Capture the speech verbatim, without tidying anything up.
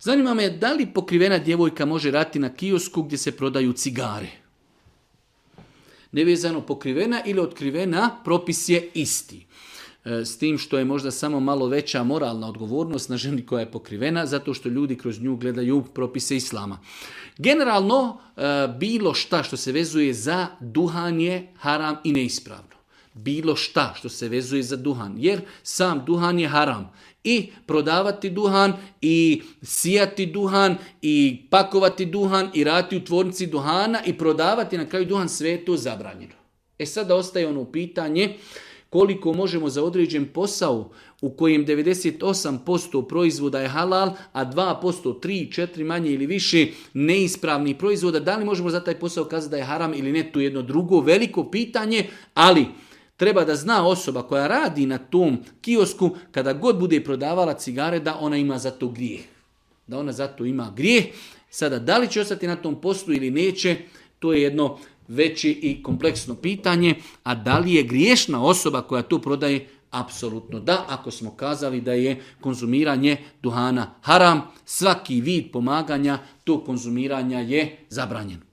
Zanima me da li pokrivena djevojka može raditi na kiosku gdje se prodaju cigare. Nevezano pokrivena ili otkrivena, propis je isti. S tim što je možda samo malo veća moralna odgovornost na ženi koja je pokrivena, zato što ljudi kroz nju gledaju propise islama. Generalno, bilo šta što se vezuje za duhan je haram i neispravno. Bilo šta što se vezuje za duhan, jer sam duhan je haram. I prodavati duhan, i sijati duhan, i pakovati duhan, i raditi u tvornici duhana, i prodavati na kraju duhan, sve je to zabranjeno. E sada ostaje ono pitanje koliko možemo za određen posao u kojem devedeset osam posto proizvoda je halal, a dva posto, tri, četiri manje ili više neispravnih proizvoda, da li možemo za taj posao kazati da je haram ili ne, to je jedno drugo veliko pitanje, ali treba da zna osoba koja radi na tom kiosku, kada god bude prodavala cigare, da ona ima za to grijeh. Da ona za to ima grijeh. Sada, da li će ostati na tom poslu ili neće, to je jedno veće i kompleksno pitanje. A da li je griješna osoba koja to prodaje? Apsolutno da. Ako smo kazali da je konzumiranje duhana haram, svaki vid pomaganja tog konzumiranja je zabranjen.